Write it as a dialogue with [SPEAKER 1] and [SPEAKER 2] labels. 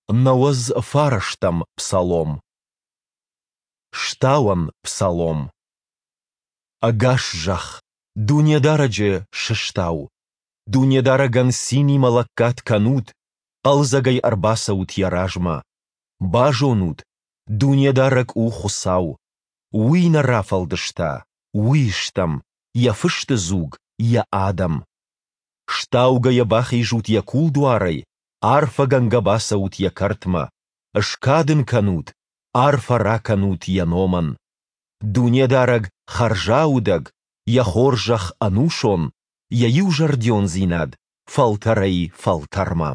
[SPEAKER 1] 99-ӕм псалом. Стауӕн псалом. Ӕгас зӕхх, Дунедарӕджы сыстау! Дунедарӕгӕн цинимӕ лӕггад кӕнут, хъӕлдзӕгӕй ӕрбацӕут Йӕ размӕ. Базонут, Дунедарӕг у Хуыцау. Уый нӕ рафӕлдыста, Уый стӕм, Йӕ фысты дзуг, Йӕ адӕм. Стаугӕйӕ бахизут Йӕ кулдуарӕй, арфӕгӕнгӕ бацӕут Йӕ кӕртмӕ. Скад Ын кӕнут, арфӕ ракӕнут Йӕ номӕн. Дунедарӕг хӕрзаудӕг, Йӕ хорзӕх ӕнусон, Йӕ иузӕрдиондзинад фӕлтӕрӕй-фӕлтӕрмӕ.